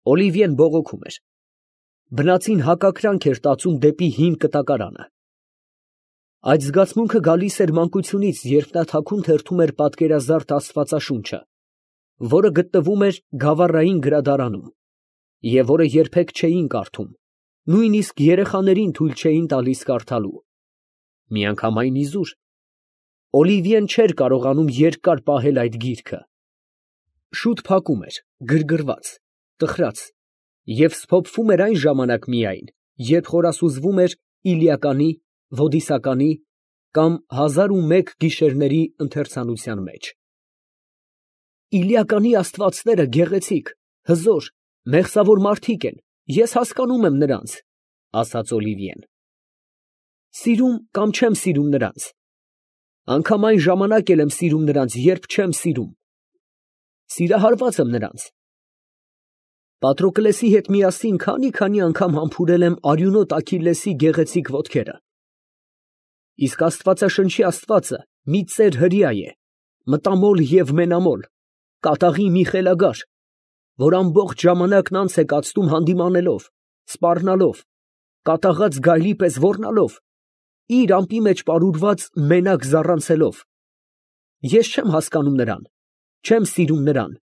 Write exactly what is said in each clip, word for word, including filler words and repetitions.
Օլիվիեն բողոքում էր։ Բնածին հակակրանք էր տածում դեպի հին կտակարանը։ Այդ զգացմունքը գալիս էր մանկությունից, երբ նա թաքուն թերթում էր պատկերազարդ Աստվածաշունչը, որը գտնվում էր գավառային գրադարանում, և որը երբեք չէին կարդում, նույնիսկ երեխաներին թույլ չէին տալիս կարդալու։ Միանգամայն իզուր Օլիվիեն չէր կարողանում երկար պահել այդ գիրքը։ Շուտ փակում էր, գրգռված, տխրած, և սփոփվում էր այն ժամանակ միայն, երբ խորասուզվում էր Իլիականի, Ոդիսականի կամ հազար ու մեկ գիշերների ընթերցանության մեջ։ Իլիականի աստվածները գեղեցիկ, հզոր, մեղսավոր մարդիկ են, ես հասկանում եմ նրանց, ֊ ասաց Օլիվիեն։ Սիրում կամ չեմ սիրում նրանց։ Անգամ այն ժամանակ էլ եմ սիրում նրանց, երբ չեմ սիրում։ Սիրահարված եմ նրանց։ Պատրոկլեսի հետ միասին քանի՜֊քանի անգամ համբուրել եմ արյունոտ Աքիլլեսի գեղեցիկ ոտքերը։ Իսկ Աստվածաշնչի Աստվածը մի ծեր հրեա է, մտամոլ և մենամոլ, կատաղի մի խելագար, որ ամբողջ ժամանակն անց է կացնում հանդիմանելով, սպառնալով, կատաղած գայլի պես ոռնալով, իր ամպի մեջ պարուրված մենակ զառանցելով։ Ես չեմ հասկանում նրան, չեմ սիրում նրան։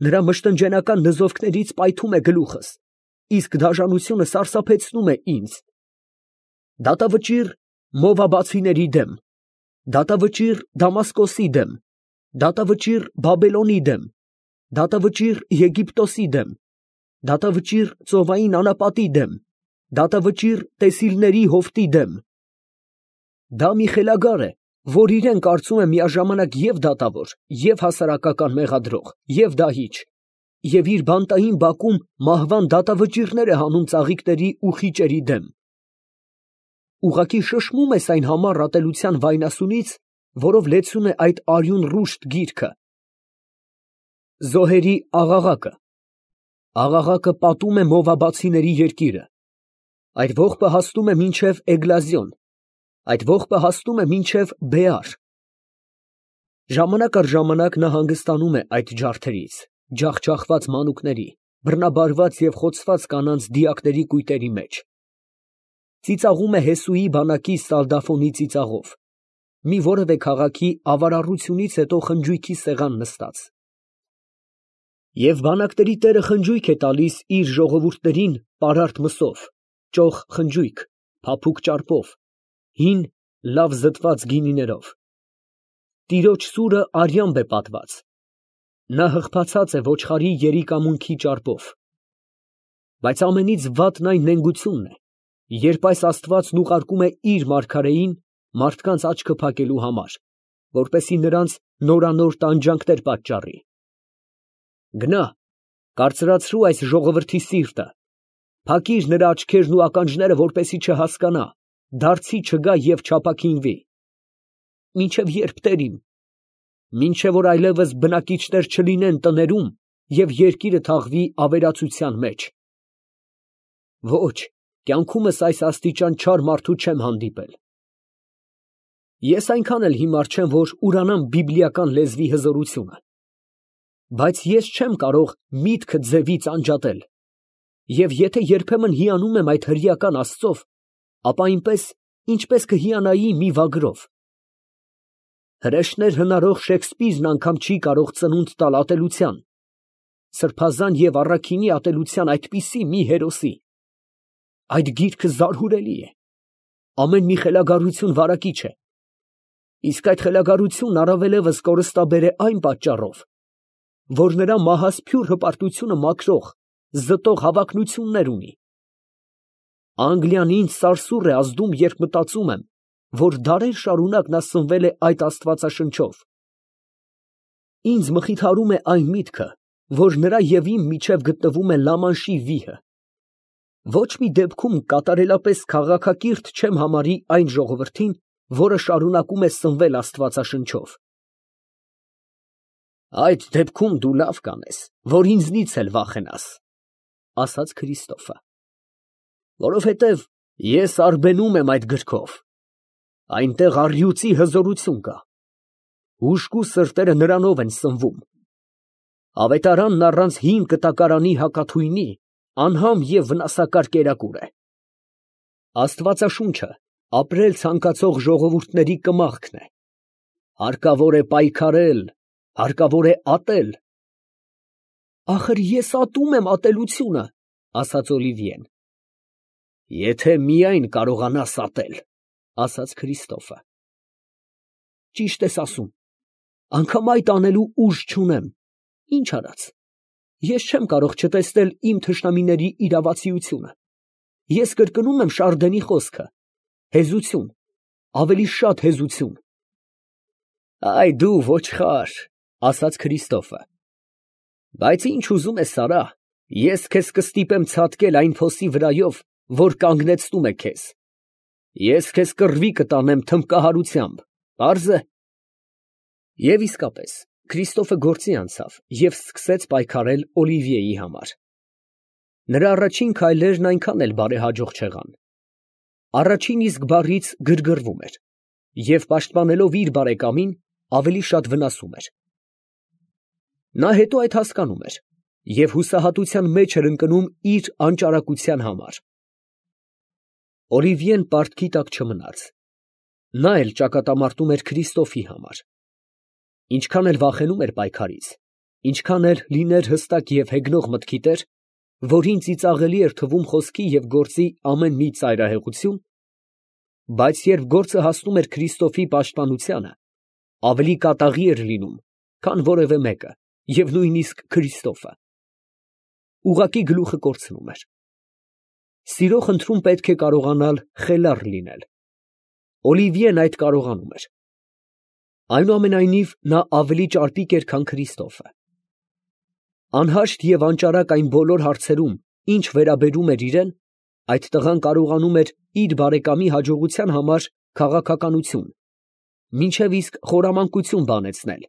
Նրա մշտնջենական նզովքներից պայթում է գլուխս, իսկ դաժանությունը սարսափեցնում է ինձ։ Դատավճիռ Մովաբացիների դեմ, դատավճիռ Դամասկոսի դեմ, դատավճիռ Բաբելոնի դեմ, դատավճիռ Եգիպտոսի դեմ, դատավճիռ ծովային անապատի դեմ, դատավճիռ տեսիլների հովտի դեմ։ Դա մի խելագար է, որ իրեն կարծում է միաժամանակ և դատավոր, և հասարակական մեղադրող, և դահիճ, և իր բանտային բակում մահվան դատավճիռներ է հանում ծաղիկների ու խիճերի դեմ։ Ուղղակի շշմում ես այն համառ ատելության վայնասունից, որով լեցուն է այդ արյուն ռուշտ գիրքը։ Զոհերի աղաղակը Աղաղակը պատում է Մովաբացիների երկիրը, այդ ողբը հասնում է մինչև Էգլազիոն, այդ ողբը հասնում է մինչև Բեար։ Ժամանակ առ ժամանակ նա հանգստանում է այդ ջարդերից, ջախջախված մանուկների, բռնաբարված և խոցված կանանց դիակների կույտերի մեջ։ Ծիծաղում է Հեսուի բանակի սալդաֆոնի ծիծաղով, մի որևէ քաղաքի ավարառությունից հետո խնջույքի սեղան նստած։ Եվ բանակների տերը խնջույք է տալիս իր ժողովուրդներին պարարտ մսով, ճոխ խնջույք, փափուկ ճարպով, հին, լավ զտված գինիներով։ Տիրոջ սուրը արյամբ է պատված։ Նա հղբացած է ոչխարի երիկամունքի ճարպով։ Բայց ամենից վատն այն նենգությունն է, երբ այս աստվածն ուղարկում է իր մարգարեին մարդկանց աչքը փակելու համար, որպեսզի նրանց նորանոր տանջանքներ պատճառի։ Գնա, կարծրացրու այս ժողովրդի սիրտը, փակիր նրա աչքերն ու ականջները, որպեսզի չհասկանա, դարձի չգա և չափաքինվի։ Մինչև ե՞րբ, տեր իմ, մինչև որ այլևս բնակիչներ չլինեն տներում և երկիրը թաղվի ավերածության մեջ։ Ոչ, կյանքումս այս աստիճան չար մարդու չեմ հանդիպել։ Ես այնքան էլ հիմար չեմ, որ ուրանամ բիբլիական լեզվի հզորությունը, բայց ես չեմ կարող միտքը ձևից անջատել, և եթե երբեմն հիանում եմ այդ հրեական Աստծով, ապա այնպես, ինչպես կհիանայի մի վագրով։ Հրեշներ հնարող Շեքսպիրն անգամ չի կարող ծնունդ տալ ատելության, սրբազան և առաքինի ատելության այդպիսի մի հերոսի։ Այդ գիրքը զարհուրելի է, ամեն մի խելագարություն վարակիչ է, իսկ այդ խելագարությունն առավելևս կորստաբեր է այն պատճառով, որ նրա մահասփյուռ հպարտությունը մաքրող, զտող հավակնություններ ունի։ Անգլիան ինձ սարսուռ է ազդում, երբ մտածում եմ, որ դարեր շարունակ նա սնվել է այդ աստվածաշնչով։ Ինձ մխիթարում է այն միտքը, որ նրա և իմ միջև գտնվում է Լամանշի վիհը։ Ոչ մի դեպքում կատարելապես քաղաքակիրթ չեմ համարի այն ժողովրդին, որը շարունակում է սնվել աստվածաշնչով։ Այդ դեպքում դու լավ կանես, որ ինձնից էլ վախենաս, ֊ ասաց Քրիստոֆը, ֊ որովհետև ես արբենում եմ այդ գրքով, այնտեղ առյուծի հզորություն կա, հուժկու սրտերը նրանով են սնվում։ Ավետարանն առանց հին կտակարանի հակաթույնի անհամ և վնասակար կերակուր է։ Աստվածաշունչը ապրել ցանկացող ժողովուրդների կմախքն է։ Հարկավոր է պայքարել, հարկավոր է ատել։ Ախր ես ատում եմ ատելությունը, ֊ ասաց Օլիվիեն։ Եթե միայն կարողանաս ատել, ֊ ասաց Քրիստոֆը։ Ճիշտ ես ասում, անգամ այդ անելու ուժ չունեմ, ինչ արած, ես չեմ կարող չտեսնել իմ թշնամիների իրավացիությունը, ես կրկնում եմ Շարդենի խոսքը, հեզություն, ավելի շատ հեզություն։ Այ դու ոչխար, ֊ ասաց Քրիստոֆը, բայց ինչ ուզում ես արա, ես քեզ կստիպեմ ցատկել այն փոսի վրայով, որ կանգնեցնում է քեզ, ես քեզ կռվի կտանեմ թմբկահարությամբ, պարզ է։ Եվ իսկապես Քրիստոֆը գործի անցավ և սկսեց պայքարել Օլիվիեի համար։ Նրա առաջին քայլերն այնքան էլ բարեհաջող չեղան։ Առաջին իսկ բառից գրգռվում էր և, պաշտպանելով իր բարեկամին, ավելի շատ վնասում էր։ Նա հետո այդ հասկանում էր և հուսահատության մեջ էր ընկնում իր անճարակության համար։ Օլիվիեն պարտքի տակ չմնաց. նա էլ ճակատամարտում էր Քրիստոֆի համար։ Ինչքան էլ վախենում էր պայքարից, ինչքան էլ լիներ հստակ և հեգնող մտքի տեր, որին ծիծաղելի էր թվում խոսքի և գործի ամեն մի ծայրահեղություն, բայց երբ գործը հասնում էր Քրիստոֆի պաշտպանությանը, ավելի կատաղի էր լինում, քան որևէ մեկը, և նույնիսկ Քրիստոֆը ուղղակի գլուխը կորցնում էր։ Սիրո խնդրում պետք է կարողանալ խելառ լինել։ Օլիվիեն այդ կարողանում էր։ Այնուամենայնիվ, նա ավելի ճարպիկ էր, քան Քրիստոֆը։ Անհաշտ և անճարակ այն բոլոր հարցերում, ինչ վերաբերում էր իրան, այդ տղան կարողանում էր իր բարեկամի հաջողության համար քաղաքականություն, մինչև իսկ խորամանկություն բանեցնել,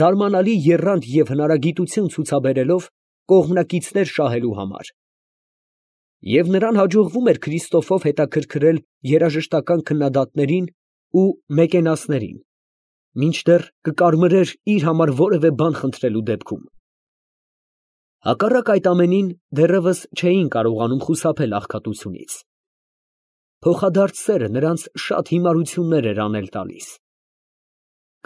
զարմանալի եռանդ և հնարագիտություն ցուցաբերելով կողմնակիցներ շահելու համար։ Եվ նրան հաջողվում էր Քրիստոֆով հետաքրքրել երաժշտական քննադատներին ու մեկենասներին, մինչդեռ կկարմրեր իր համար որևէ բան խնդրելու դեպքում։ Հակառակ այդ ամենին, դեռևս չէին կարողանում խուսափել աղքատությունից։ Փոխադարձ սերը նրանց շատ հիմարություններ էր անել տալիս։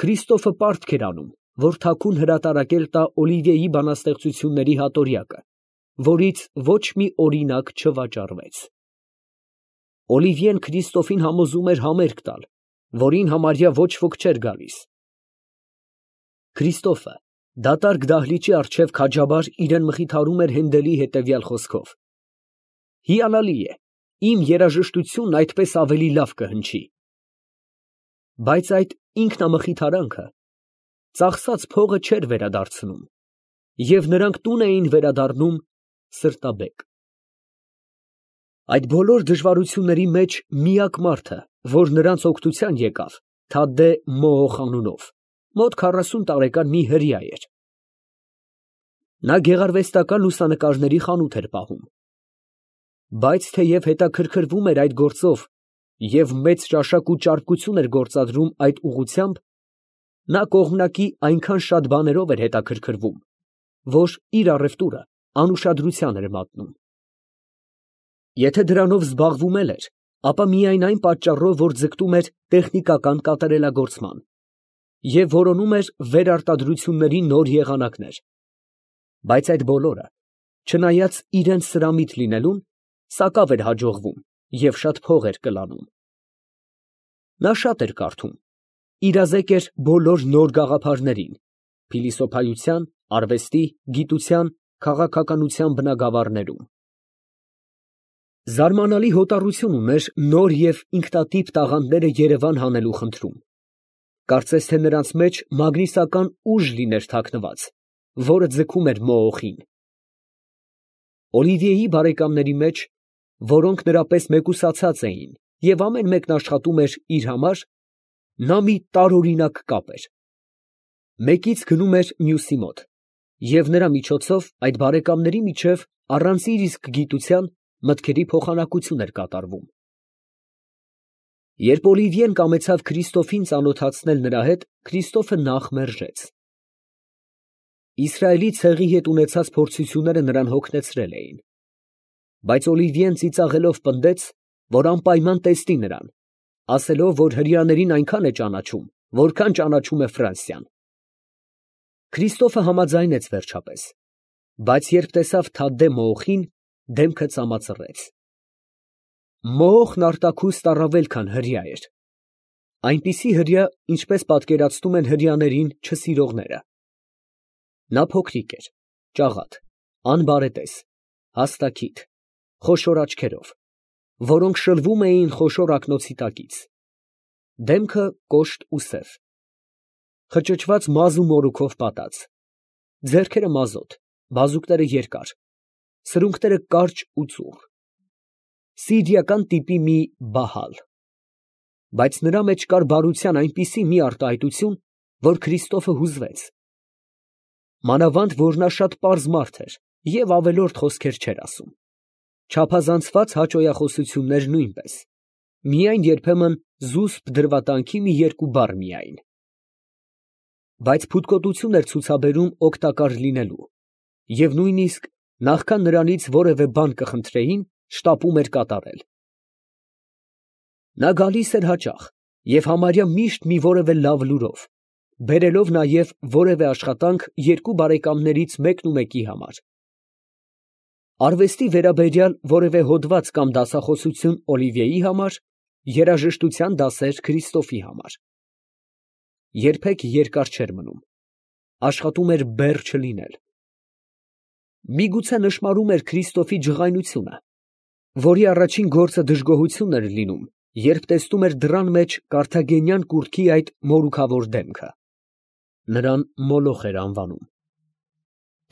Քրիստոֆը պարտք էր անում, որ թաքուն հրատարակել տա Օլիվիեի բանաստեղծությունների հատորյակը, որից ոչ մի օրինակ չվաճառվեց։ Օլիվիեն Քրիստոֆին համոզում էր համերգ տալ, որին համարյա ոչ ոք չէր գալիս։ Քրիստոֆը դատարկ դահլիճի առջև քաջաբար իրան մխիթարում էր Հենդելի հետևյալ խոսքով. «Հիանալի է, իմ երաժշտությունն այդպես ավելի լավ կհնչի»։ Բայց այդ ինքնամխիթարանքը ծախսած փողը չէր վերադարձնում, և նրանք տուն էին վերադառնում սրտաբեկ։ Այդ բոլոր դժվարությունների մեջ միակ մարդը, որ նրանց օգնության եկավ, Թադդե Մոոխ անունով, մոտ քառասուն տարեկան մի հրեա էր։ Նա գեղարվեստական լուսանկարների խանութ էր պահում։ Բայց թեև հետաքրքրվում էր այդ գործով և մեծ ճաշակ ու ճարպկություն էր գործադրում այդ ուղղությամբ, նա կողմնակի այնքան շատ բաներով էր հետաքրքրվում, որ իր առևտուրը անուշադրության էր մատնում։ Եթե դրանով զբաղվում էլ էր, ապա միայն այն պատճառով, որ ձգտում էր տեխնիկական կատարելագործման և որոնում էր վերարտադրությունների նոր եղանակներ, բայց այդ բոլորը, չնայած իրենց սրամիտ լինելուն, սակավ էր հաջողվում և շատ փող էր կլանում։ Նա շատ էր կարդում, իրազեկ էր բոլոր նոր գաղափարներին, փիլիսոփայության, արվեստի, գիտության, քաղաքականության բնագավառներում։ Զարմանալի հոտառություն ուներ նոր և ինքնատիպ տաղանդները երևան հանելու խնդրում։ Կարծես թե նրանց մեջ մագնիսական ուժ լիներ թաքնված, որը ձգում էր Մոոխին։ Օլիվիեի բարեկամների մեջ, որոնք նրա պես մեկուսացած էին և ամեն մեկն աշխատում էր իր համար, նա մի տարօրինակ կապ էր. մեկից գնում էր մյուսի մոտ, և նրա միջոցով այդ բարեկամների միջև առանց իր իսկ գիտության մտքերի փոխանակություն էր կատարվում։ Երբ Օլիվիեն կամեցավ Քրիստոֆին ծանոթացնել նրա հետ, Քրիստոֆը նախ մերժեց։ Իսրայելի ցեղի հետ ունեցած փորձությունները նրան հոգնեցրել էին, բայց Օլիվիեն ծիծաղելով պնդեց, որ անպայման տեսնի նրան, ասելով, որ հրեաներին այնքան է ճանաչում, որքան ճանաչում է Ֆրանսիան։ Քրիստոֆը համաձայնեց վերջապես, բայց երբ տեսավ Թադդե մոխին, դեմքը ծամացրեց։ Մոխն արտաքուստ առավել, քան հրեա էր, այնպիսի հրեա, ինչպես պատկերացնում են հրեաներին չսիրողները։ Նա փոքրիկ էր, ճաղատ, անբարետես, հաստաքիթ, խոշոր աչքերով, որոնք շլվում էին խոշոր ակնոցի տակից, դեմքը կոշտ ու սև, խճճված մազ ու մորուքով պատած, ձեռքերը մազոտ, բազուկները երկար, սրունքները կարճ ու ծուռ, սիրիական տիպի մի բահալ, բայց նրա մեջ կար բարության այնպիսի մի արտահայտություն, որ Քրիստոֆը հուզվեց, մանավանդ, որ նա շատ պարզ մարդ էր և ավելորդ խոսքեր չէր ասում, չափազանցված հաճոյախոսություններ նույնպես, միայն երբեմն զուսպ դրվատանքի մի երկու բառ միայն, բայց փութկոտություն էր ցուցաբերում օգտակար լինելու, և նույնիսկ նախքան նրանից որևէ բան կխնդրեին, շտապում էր կատարել։ Նա գալիս էր հաճախ և համարյա միշտ մի որևէ լավ լուրով, բերելով նաև որևէ աշխատանք երկու բարեկամներից մեկն ու մեկի համար, արվեստի վերաբերյալ որևէ հոդված կամ դասախոսություն Օլիվիեի համար, երաժշտության դասեր Քրիստոֆի համար։ Երբեք երկար չէր մնում, աշխատում էր բեռ չլինել։ Միգուցե նշմարում էր Քրիստոֆի ջղայնությունը, որի առաջին գործը դժգոհություն էր լինում, երբ տեսնում էր դռան մեջ կարթագենյան կուռքի այդ մորուքավոր դեմքը. նրան Մոլոխ էր անվանում։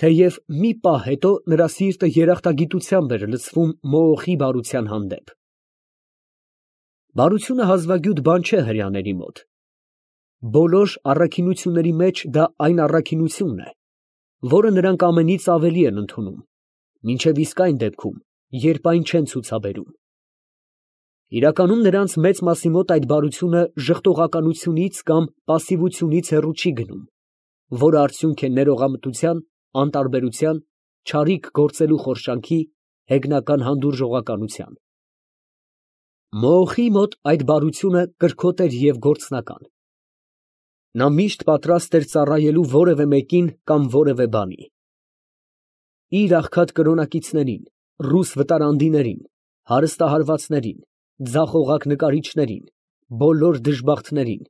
Թեև մի պահ հետո նրա սիրտը երախտագիտությամբ էր լցվում Մոոխի բարության հանդեպ։ Բարությունը հազվագյուտ բան չէ հրեաների մոտ։ Բոլոր առաքինությունների մեջ դա այն առաքինությունն է, որը նրանք ամենից ավելի են ընդունում, մինչև իսկ այն դեպքում, երբ այն չեն ցուցաբերում։ Իրականում նրանց մեծ մասի մոտ այդ բարությունը ժխտողականությունից կամ պասիվությունից հեռու չի գնում, որը արդյունք է ներողամտության, անտարբերության, չարիք գործելու խորշանքի, հեգնական հանդուրժողականության։ Մոոխի մոտ այդ բարությունը կրքոտ էր և գործնական։ Նա միշտ պատրաստ էր ծառայելու որևէ մեկին կամ որևէ բանի։ Իր աղքատ կրոնակիցներին, ռուս վտարանդիներին, հարստահարվածներին, ձախողակ նկարիչներին, բոլոր դժբախտներին,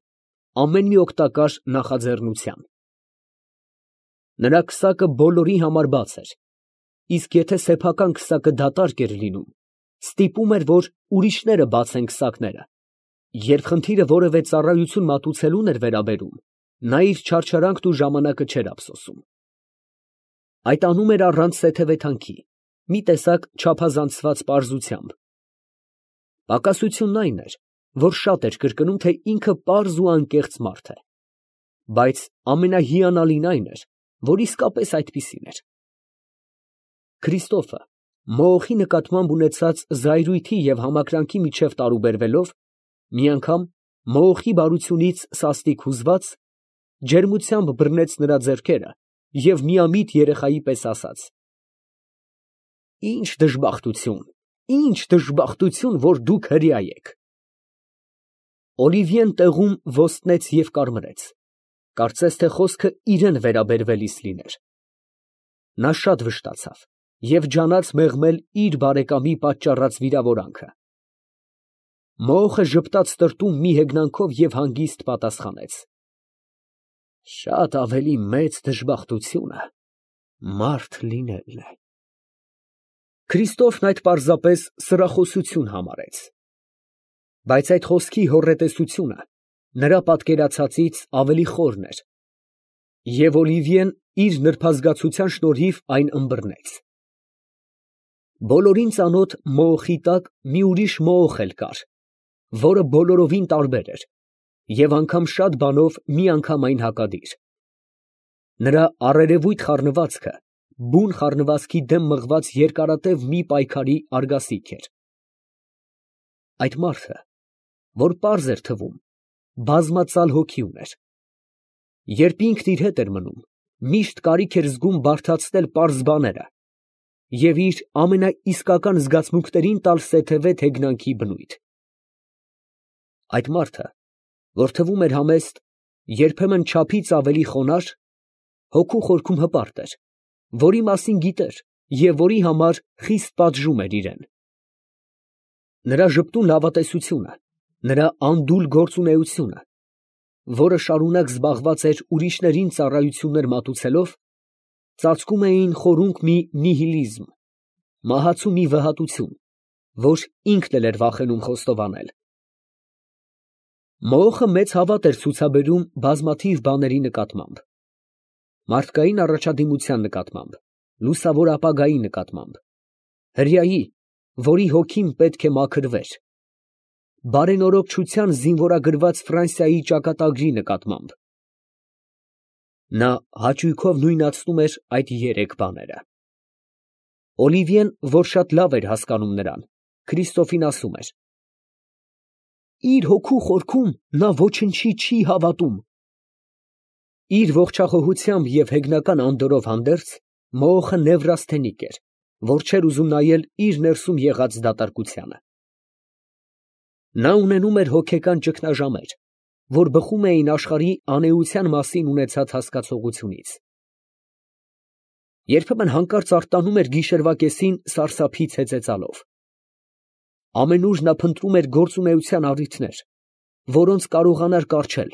ամեն մի օգտակար նախաձեռնության։ Նրա քսակը բոլորի համար բաց էր, իսկ եթե սեփական քսակը դատարկ էր լինում, ստիպում էր, որ ուրիշները բացեն քսակները, երբ խնդիրը որևէ ծառայություն մատուցելուն էր վերաբերում, նա իր չարչարանքն ու ժամանակը չէր ափսոսում։ Այդ անում էր առանց սեթևեթանքի, մի տեսակ չափազանցված պարզությամբ։ Պակասությունն այն էր, որ շատ էր կրկնում, թե ինքը պարզ ու անկեղծ մարդ է, բայց ամենահիանալին այն էր, որ իսկապես այդպիսին էր։ Քրիստոֆը Մոոխի նկատմամբ ունեցած զայրույթի և համակրանքի միջև տարուբերվելով, մի անգամ Մոոխի բարությունից սաստիկ հուզված, ջերմությամբ բռնեց նրա ձեռքերը և միամիտ երեխայի պես ասաց. «Ի՜նչ դժբախտություն, ի՜նչ դժբախտություն, որ դուք հրեա եք»։ Օլիվիեն տեղում ոստնեց և կարմրեց, կարծես թե խոսքը իրան վերաբերվելիս լիներ։ Նա շատ վշտացավ և ջանաց մեղմել իր բարեկամի պատճառած վիրավորանքը։ Մոոխը ժպտաց տրտում մի հեգնանքով և հանգիստ պատասխանեց. «Շատ ավելի մեծ դժբախտությունը մարդ լինելն է»։ Քրիստոֆն այդ պարզապես սրախոսություն համարեց, բայց այդ խոսքի հոռետեսությունը նրա պատկերացածից ավելի խորն էր, և Օլիվիեն իր նրբազգացության շնորհիվ այն ըմբռնեց։ Բոլորին ծանոթ Մոոխի տակ մի ուրիշ Մոոխ էլ կար, որը բոլորովին տարբեր էր և անգամ շատ բանով միանգամայն հակադիր։ Նրա առերևույթ խառնվածքը բուն խառնվածքի դեմ մղված երկարատև մի պայքարի արգասիք էր։ Այդ մարդը, որ պարզ էր թվում, բազմածալ հոգի ուներ։ Երբ ինքն իր հետ էր մնում, միշտ կարիք էր զգում բարդացնել պարզ բաները և իր ամենաիսկական զգացմունքներին տալ սեթևետ հեգնանքի բնույթ։ Այդ մարդը, որ թվում էր համեստ, երբեմն չափից ավելի խոնարհ, հոգու խորքում հպարտ էր, որի մասին գիտեր և որի համար խիստ պատժում էր իրան։ Նրա ժպտուն լավատեսությունը, նրա անդուլ գործունեությունը, որը շարունակ զբաղված էր ուրիշներին ծառայություններ մատուցելով, ծածկում էին խորունկ մի նիհիլիզմ, մահացու մի վհատություն, որ ինքն էլ էր վախենում խոստովանել։ Մոխը մեծ հավատ էր ցուցաբերում բազմաթիվ բաների նկատմամբ. մարդկային առաջադիմության նկատմամբ, լուսավոր ապագայի նկատմամբ, հրեայի, որի հոգին պետք է մաքրվեր, բարենորոգչության զինվորագրված Ֆրանսիայի ճակատագրի նկատմամբ։ Նա հաճույքով նույնացնում էր այդ երեք բաները։ Օլիվիեն, որ շատ լավ էր հասկանում նրան, Քրիստոֆին ասում էր. իր հոգու խորքում նա ոչնչի չի հավատում։ Իր ողջախոհությամբ և հեգնական անդորրով հանդերձ, Մոխը նևրաստենիկ էր, որ չէր ուզում նայել իր ներսում եղած դատարկությանը։ Նա ունենում էր հոգեկան ճգնաժամեր, որ բխում էին աշխարհի անէության մասին ունեցած հասկացողությունից։ Երբեմն հանկարծ արտանում էր գիշերվա կեսին սարսափից հեծեծալով։ Ամենուր նա փնտրում էր գործունեության առիթներ, որոնց կարողանար կառչել,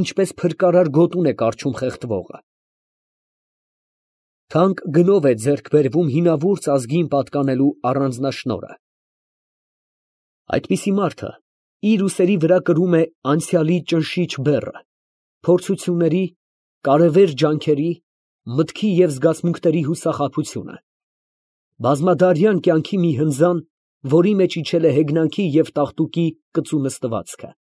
ինչպես փրկարար գոտուն է կառչում խեղդվողը։ Թանկ գնով է ձեռք բերվում հինավուրց ազգին պատկանելու առանձնաշնորհը։ Այդպիսի մարդը իր ուսերի վրա կրում է անցյալի ճնշիչ բեռը, փորձությունների, կարևեր ջանքերի, մտքի և զգացմունքների հուսախաբությունը, բազմադարյան կյանքի մի հնձան, որի մեջ իջել է հեգնանքի և տաղտուկի կծու նստվածքը։